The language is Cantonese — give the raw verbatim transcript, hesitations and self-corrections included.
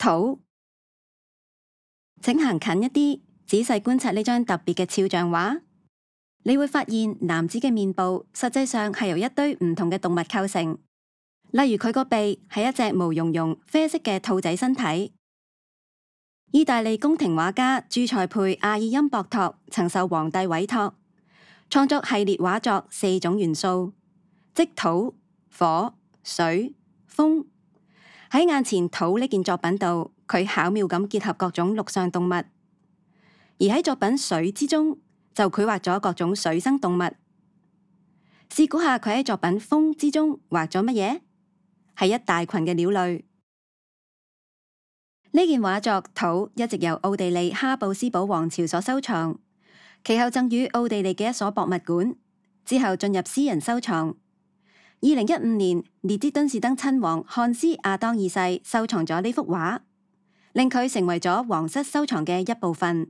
土。請行近一啲，仔細觀察呢張特別嘅肖像畫，你會發現男子嘅面部實際上係由一堆唔同嘅動物構成，例如佢個鼻係一隻毛茸茸啡色嘅兔仔身體。意大利宮廷畫家朱塞佩阿爾欽博托曾受皇帝委託，創作系列畫作四種元素，即土、火、水、風。喺眼前土呢件作品度，佢巧妙咁結合各種陸上動物；而喺作品水之中，就繪畫咗各種水生動物。試估下佢喺作品風之中畫咗乜嘢？係一大群嘅鳥類。呢件畫作土一直由奧地利哈布斯堡王朝所收藏，其後贈予奧地利嘅一所博物館，之後進入私人收藏。二零一五年，列支敦士登親王漢斯亞當二世收藏咗呢幅畫，令佢成為咗皇室收藏嘅一部分。